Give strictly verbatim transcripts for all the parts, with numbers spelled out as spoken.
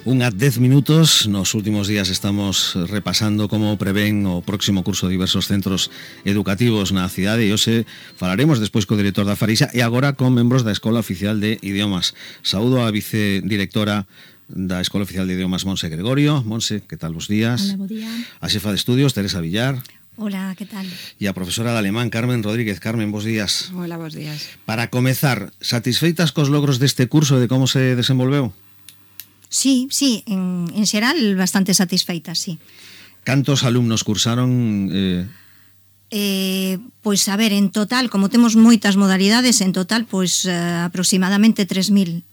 Unha dez minutos, nos últimos días estamos repasando como prevén o próximo curso de diversos centros educativos na cidade e hoxe falaremos despois co director da Farixa e agora con membros da Escola Oficial de Idiomas. Saúdo a vicedirectora da Escola Oficial de Idiomas, Monse Gregorio. Monse, que tal, bos días? Hola, bo día. A xefa de estudios, Teresa Villar. Hola, que tal? E a profesora de alemán, Carmen Rodríguez. Carmen, bos días. Hola, bos días. Para comezar, satisfeitas cos logros deste curso e de como se desenvolveu? Sí, sí, en, en xeral bastante satisfeitas, sí. Cantos alumnos cursaron? Eh... Eh, pois, a ver, en total, como temos moitas modalidades, en total, pois, uh, aproximadamente tres mil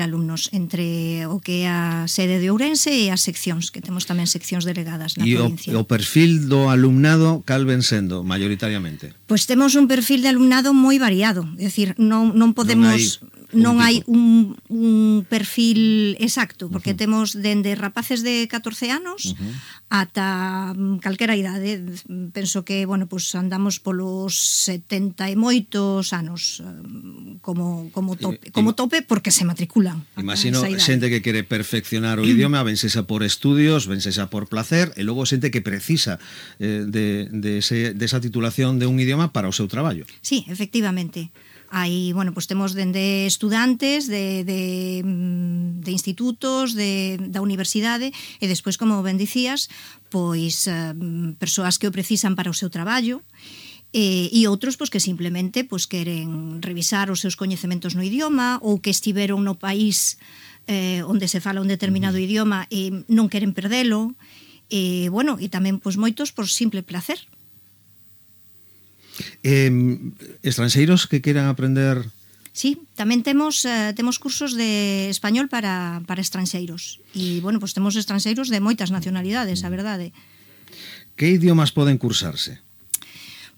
alumnos, entre o que é a sede de Ourense e as seccións, que temos tamén seccións delegadas na e provincia. E o perfil do alumnado cal ven sendo, maioritariamente? Pois temos un perfil de alumnado moi variado, é dicir, non, non podemos... Non hai un, un perfil exacto, porque uh -huh. temos dende rapaces de catorce anos uh -huh. ata calquera idade. Penso que, bueno, pues andamos polos setenta e moitos anos como, como, tope, como tope porque se matriculan. Imagino xente que quere perfeccionar o idioma, vense xa por estudios, vense xa por placer, e logo xente que precisa eh, de, de, ese, de esa titulación de un idioma para o seu traballo. Sí, efectivamente. Aí, bueno, pues temos dende estudantes de, de, de institutos, de, da universidade e despois, como ben dicías, pois uh, persoas que o precisan para o seu traballo e, e outros pois, que simplemente pois, queren revisar os seus coñecementos no idioma ou que estiveron no país eh, onde se fala un determinado uh-huh. idioma e non queren perdelo e, bueno, e tamén pois, moitos por simple placer. Eh, estranxeiros que queran aprender? Sí, tamén temos eh, temos cursos de español para, para estranxeiros e, bueno, pues temos estranxeiros de moitas nacionalidades, a verdade. Que idiomas poden cursarse?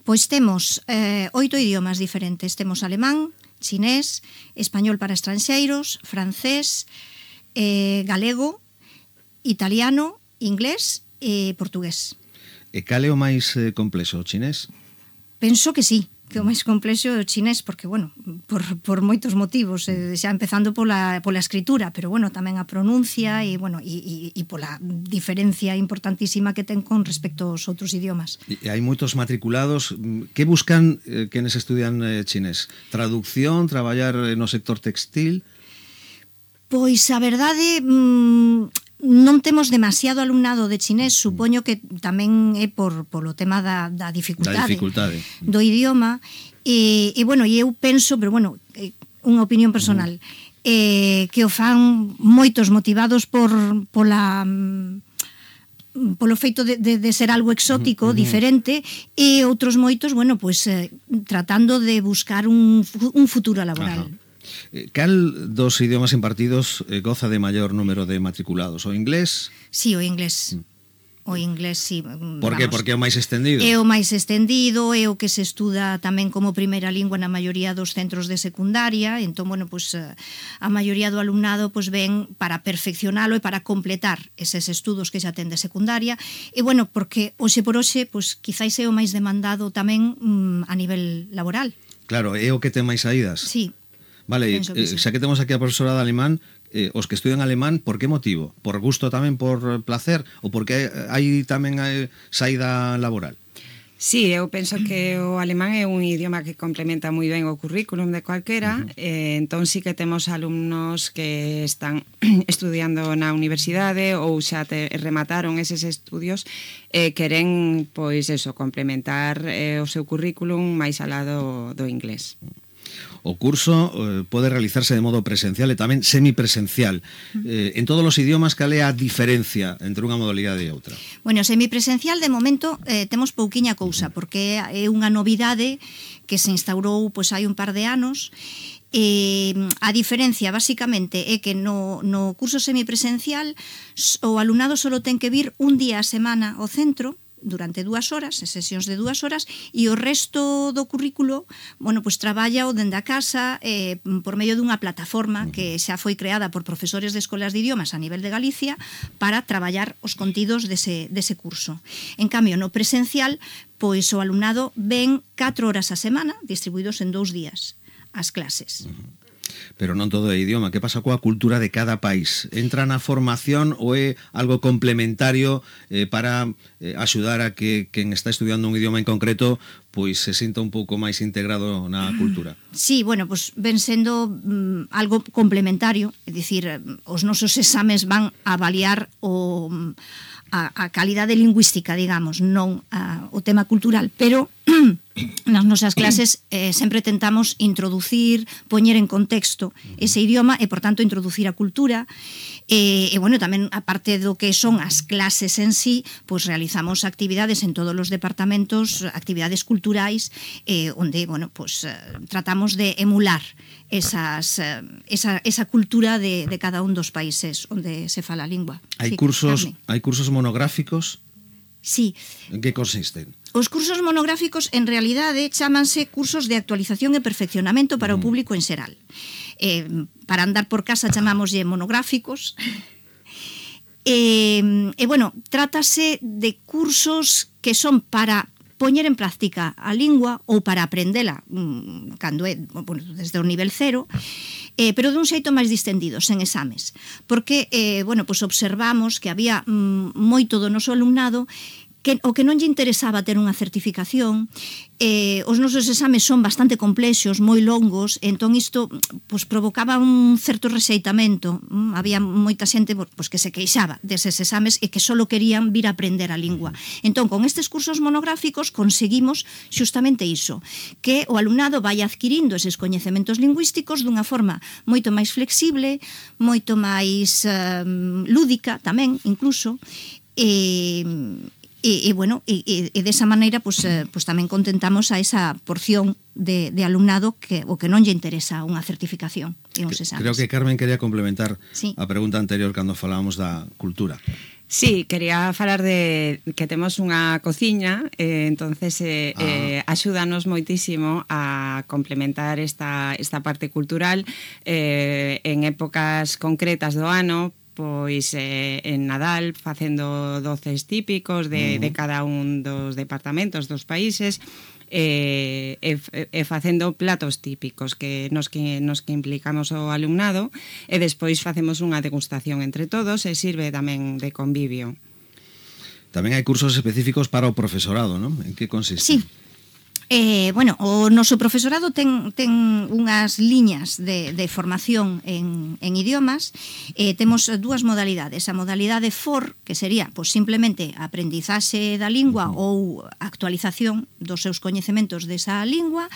Pois temos eh, oito idiomas diferentes. Temos alemán, chinés, español para estranxeiros, francés, eh, galego, italiano, inglés e portugués. E cal é o máis eh, complexo, o chinés? Penso que sí, que o máis complexo é o chinés, porque, bueno, por, por moitos motivos, eh, xa empezando pola, pola escritura, pero, bueno, tamén a pronuncia e, bueno, e, e, e pola diferencia importantísima que ten con respecto aos outros idiomas. E hai moitos matriculados. Que buscan eh, quenes estudian eh, chinés? Traducción, traballar no sector textil? Pois, a verdade... Mmm, non temos demasiado alumnado de chinés, supoño que tamén é por polo tema da, da dificultade, da dificultade do idioma e, e bueno, e eu penso, pero bueno, unha opinión personal, uh-huh. eh, que o fan moitos motivados por pola polo feito de, de, de ser algo exótico, uh-huh. diferente, e outros moitos, bueno, pues eh, tratando de buscar un, un futuro laboral. Uh-huh. Cal dos idiomas impartidos eh, goza de maior número de matriculados? O inglés? Sí, o inglés. Mm. O inglés, sí. Por que? Porque é o máis estendido? É o máis estendido, é o que se estuda tamén como primeira lingua na maioría dos centros de secundaria, entón, bueno, pues, a maioría do alumnado pues, ven para perfeccionalo e para completar eses estudos que xa ten de secundaria, e, bueno, porque hoxe por hoxe, pues, quizáis é o máis demandado tamén mm, a nivel laboral. Claro, é o que ten máis saídas? Sí. Vale, eh, sí. Xa que temos aquí a profesora de alemán, eh, os que estudian alemán, por que motivo? Por gusto tamén, por placer? Ou porque hai tamén hai saída laboral? Sí, eu penso que o alemán é un idioma que complementa moi ben o currículum de cualquera, uh-huh. eh, entón sí que temos alumnos que están estudiando na universidade ou xa te, remataron eses estudios e eh, queren, pois eso, complementar eh, o seu currículum máis alá do, do inglés. O curso eh, pode realizarse de modo presencial e tamén semipresencial. Eh, en todos os idiomas, cal é a diferencia entre unha modalidade e outra? Bueno, semipresencial, de momento, eh, temos pouquiña cousa, porque é unha novidade que se instaurou pois, hai un par de anos. Eh, a diferencia, basicamente, é que no, no curso semipresencial o alumnado só ten que vir un día a semana ao centro, durante dúas horas, sesións de dúas horas, e o resto do currículo, bueno, pues traballa o dende a casa eh, por medio dunha plataforma que xa foi creada por profesores de escolas de idiomas a nivel de Galicia para traballar os contidos dese, dese curso. En cambio, no presencial, pois o alumnado ven catro horas a semana, distribuídos en dous días, as clases. Pero non todo é idioma. Que pasa coa cultura de cada país? Entra na formación ou é algo complementario eh, para eh, axudar a que quen está estudiando un idioma en concreto pois se sinta un pouco máis integrado na cultura? Sí, bueno, pues ven sendo mm, algo complementario, é dicir, os nosos exames van a avaliar o a, a calidade lingüística, digamos, non a, o tema cultural, pero nas nosas clases eh, sempre tentamos introducir, poñer en contexto ese idioma e, por tanto, introducir a cultura. E, e bueno, tamén, aparte do que son as clases en sí, pues realizamos actividades en todos os departamentos, actividades culturais, eh, onde, bueno, pues eh, tratamos de emular esas, eh, esa, esa cultura de, de cada un dos países onde se fala a lingua. Hai sí, cursos, Carmen. hai cursos monográficos? Sí. En que consisten? Os cursos monográficos, en realidade, chámanse cursos de actualización e perfeccionamento para o público en xeral. Eh, para andar por casa chamámoslle monográficos. E, e, bueno, trátase de cursos que son para poñer en práctica a lingua ou para aprendela cando é, bueno, desde o nivel cero, eh, pero dun xeito máis distendido, sen exames. Porque, eh, bueno, pues observamos que había mm, moito do noso alumnado que o que non lle interesaba ter unha certificación, eh, os nosos exames son bastante complexos, moi longos, entón isto pues, provocaba un certo rexeitamento. Mm, había moita xente pues, que se queixaba deses exames e que só querían vir a aprender a lingua. Entón, con estes cursos monográficos conseguimos xustamente iso, que o alumnado vai adquirindo eses coñecementos lingüísticos dunha forma moito máis flexible, moito máis eh, lúdica tamén, incluso, e... E, e bueno, e, e desa maneira pues, eh, pues tamén contentamos a esa porción de, de alumnado que o que non lle interesa unha certificación e uns exames. Creo que Carmen quería complementar sí. a pregunta anterior cando falábamos da cultura. Sí, quería falar de que temos unha cociña, eh, entonces eh, ah. eh, axúdanos moitísimo a complementar esta, esta parte cultural eh, en épocas concretas do ano. Pois eh, en Nadal facendo doces típicos de, uh -huh. de cada un dos departamentos dos países e, e, e facendo platos típicos que nos, que nos que implicamos o alumnado e despois facemos unha degustación entre todos e sirve tamén de convivio. Tamén hai cursos específicos para o profesorado, non? En que consiste? Sí. Eh, bueno, o noso profesorado ten, ten unhas liñas de, de formación en, en idiomas. Eh, temos dúas modalidades. A modalidade F O R, que sería pues, simplemente aprendizaxe da lingua ou actualización dos seus coñecementos desa lingua.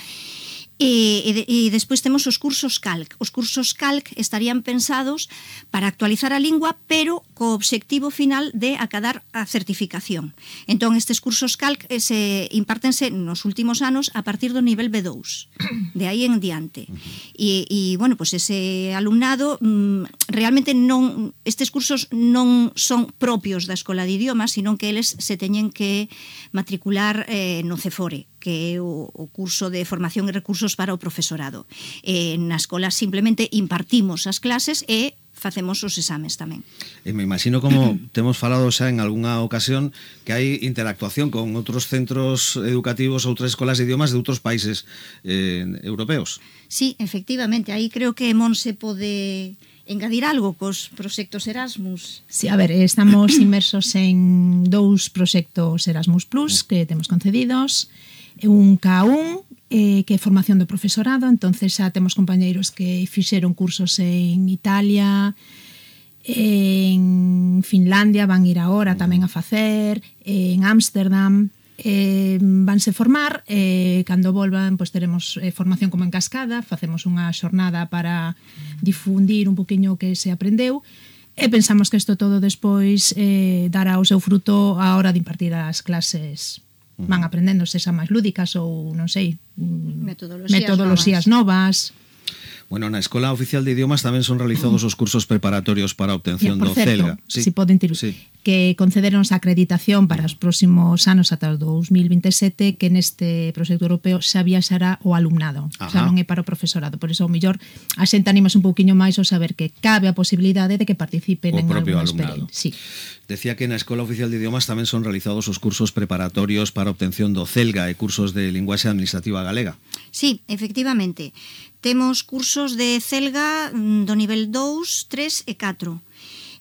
E, e, e despois temos os cursos Calc. Os cursos Calc estarían pensados para actualizar a lingua, pero co obxectivo final de acadar a certificación. Entón, estes cursos Calc eh, se impártense nos últimos anos a partir do nivel B dous, de aí en diante. E, e bueno, pues ese alumnado mmm, realmente non, estes cursos non son propios da Escola de Idiomas, sino que eles se teñen que matricular eh, no CEFORE, que é o, o curso de formación e recursos para o profesorado. Eh, na escola simplemente impartimos as clases e facemos os exames tamén. E me imagino como temos falado xa en algunha ocasión que hai interactuación con outros centros educativos, outras escolas de idiomas de outros países eh, europeos. Sí, efectivamente, aí creo que Monse pode engadir algo cos proxectos Erasmus. Sí, a ver, estamos inmersos en dous proxectos Erasmus Plus que temos concedidos, un K un, eh, que é formación do profesorado, entonces xa temos compañeiros que fixeron cursos en Italia, en Finlandia, van ir agora tamén a facer, en Ámsterdam, eh, vanse formar, eh, cando volvan pois teremos eh, formación como en cascada, facemos unha xornada para difundir un poquinho o que se aprendeu, e pensamos que isto todo despois eh, dará o seu fruto a hora de impartir as clases. Van aprendendo se xa máis lúdicas ou, non sei, metodoloxías, metodoloxías novas. novas. Bueno, na Escola Oficial de Idiomas tamén son realizados os cursos preparatorios para a obtención do certo, CELGA. Sí. Si poden ter... Sí. que concederons a acreditación para os próximos anos ata o dous mil vinte e sete, que neste proxecto europeo xa viaxará o alumnado. Ajá. O sea, non é para o profesorado. Por iso, ao mellor, a xente animas un pouquiño máis ao saber que cabe a posibilidade de que participen o en propio alguna alumnado. experiencia. Sí. Decía que na Escola Oficial de Idiomas tamén son realizados os cursos preparatorios para a obtención do CELGA e cursos de linguaxe administrativa galega. Sí, efectivamente. Temos cursos de CELGA do nivel dous, tres e catro.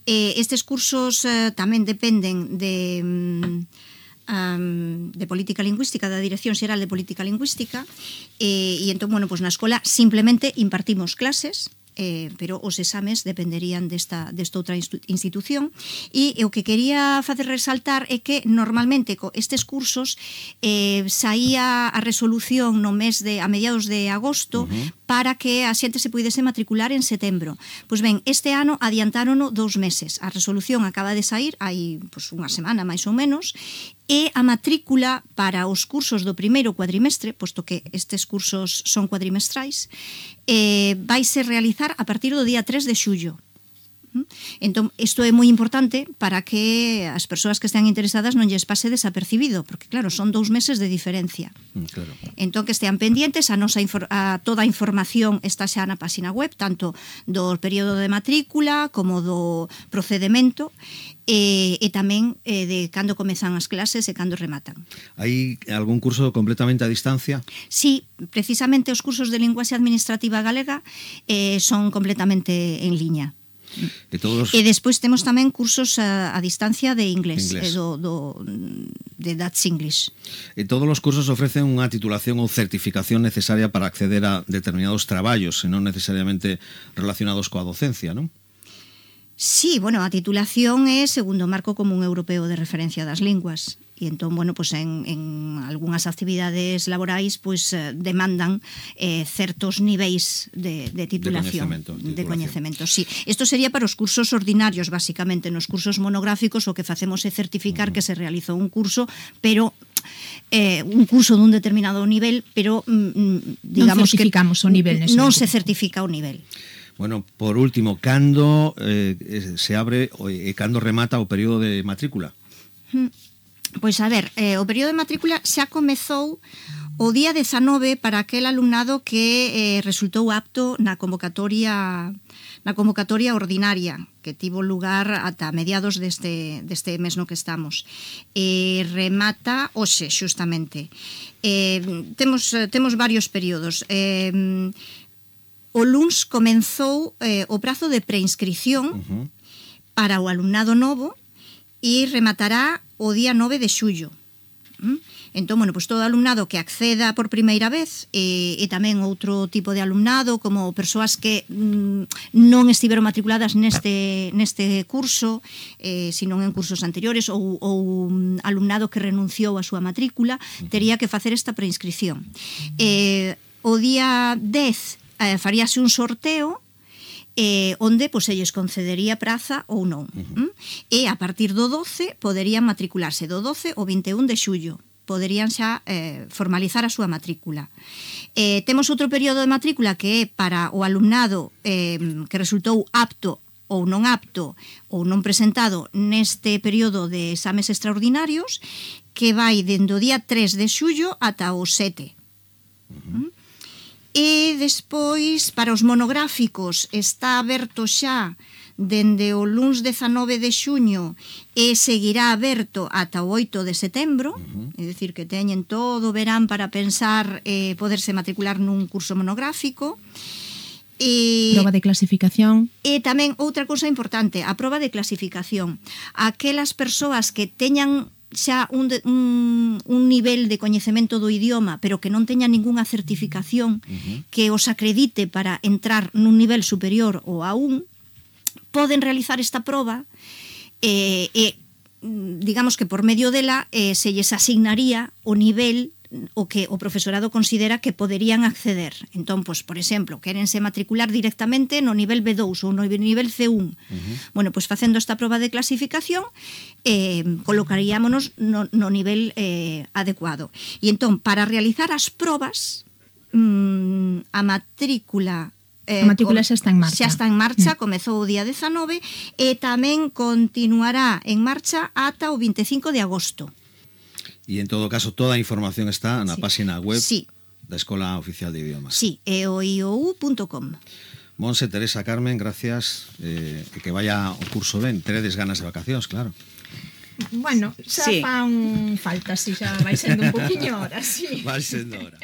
Eh, estes cursos eh, tamén dependen de, um, de política lingüística, da Dirección Xeral de Política Lingüística, eh, e entón, bueno, pues na escola simplemente impartimos clases, eh, pero os exames dependerían desta, desta outra institución, e o que quería facer resaltar é que normalmente co estes cursos eh, saía a resolución no mes de a mediados de agosto, uh-huh, para que a xente se puidese matricular en setembro. Pois ben, este ano adiantárono dous meses. A resolución acaba de sair hai pois, unha semana máis ou menos, e a matrícula para os cursos do primeiro cuadrimestre, posto que estes cursos son cuadrimestrais, eh, vaise realizar a partir do día tres de xullo. Entón, isto é moi importante para que as persoas que estean interesadas non lles pase desapercibido, porque claro, son dous meses de diferencia. Claro. Entón, que estean pendientes, a nosa a toda a información está xa na página web, tanto do período de matrícula como do procedemento, e, e tamén eh, de cando comezan as clases e cando rematan. Hai algún curso completamente a distancia? Sí, precisamente os cursos de linguaxe administrativa galega eh, son completamente en liña. E, todos... e despois temos tamén cursos a, a distancia de inglés, inglés. Eh, do, do, de Dutch English. E todos os cursos ofrecen unha titulación ou certificación necesaria para acceder a determinados traballos, e non necesariamente relacionados coa docencia, non? Sí, bueno, a titulación é segundo o marco común europeo de referencia das linguas. E entón, bueno, pues en, en algunhas actividades laborais pues, eh, demandan eh, certos niveis de, de titulación. De coñecemento. De coñecemento, sí. Isto sería para os cursos ordinarios, basicamente. Nos cursos monográficos o que facemos é certificar uh-huh. que se realizou un curso, pero eh, un curso dun determinado nivel, pero mm, digamos non certificamos que o nivel. Non se certifica o nivel. Bueno, por último, cando eh, se abre e cando remata o período de matrícula? Hmm. Pois a ver, eh, o período de matrícula xa comezou o día dezanove para aquel alumnado que eh, resultou apto na convocatoria na convocatoria ordinaria que tivo lugar ata mediados deste, deste mes no que estamos. E remata hoxe, xustamente. Eh, temos, temos varios períodos. Eh, o luns comenzou eh, o prazo de preinscripción uh-huh. para o alumnado novo e rematará o día nove de xullo. ¿Mm? Entón, bueno, pues todo alumnado que acceda por primeira vez e, e tamén outro tipo de alumnado como persoas que mm, non estiveron matriculadas neste, neste curso, eh, sino en cursos anteriores ou, ou um, alumnado que renunciou a súa matrícula, tería que facer esta preinscripción. Eh, o día dez eh, faríase un sorteo Eh, onde pois, se lles concedería praza ou non. Uh-huh. E a partir do doce poderían matricularse do doce ao vinte e un de xullo. Poderían xa eh, formalizar a súa matrícula. Eh, temos outro período de matrícula que é para o alumnado eh, que resultou apto ou non apto ou non presentado neste período de exames extraordinarios que vai dende o día tres de xullo ata o sete. Uh-huh. E despois, para os monográficos, está aberto xa dende o luns dezanove de xuño e seguirá aberto ata o oito de setembro, uh-huh. é dicir, que teñen todo o verán para pensar eh, poderse matricular nun curso monográfico. E, proba de clasificación. E tamén outra cousa importante, a proba de clasificación. Aquelas persoas que teñan xa un, de, un, un nivel de coñecemento do idioma, pero que non teña ningunha certificación uh-huh. que os acredite para entrar nun nivel superior ou a un, poden realizar esta proba e, e digamos que por medio dela eh, se lles asignaría o nivel o que o profesorado considera que poderían acceder. Entón, pois, por exemplo, quérense matricular directamente no nivel B dous ou no nivel C un. Uh-huh. Bueno, pois facendo esta proba de clasificación eh, colocaríamonos no, no nivel eh, adecuado. E entón, para realizar as probas, mmm, a matrícula eh, A matrícula xa está en marcha. Xa está en marcha, comezou o día dezanove e tamén continuará en marcha ata o vinte e cinco de agosto. E en todo caso, toda a información está na Sí. página web Sí. da Escola Oficial de Idiomas. Sí, e o i o u punto com. Monse, Teresa, Carmen, gracias, eh, e que vaya o curso ben. Teredes ganas de vacacións, claro. Bueno, xa Sí. fan falta, si xa vai sendo un poquinho hora, sí. Vai sendo hora.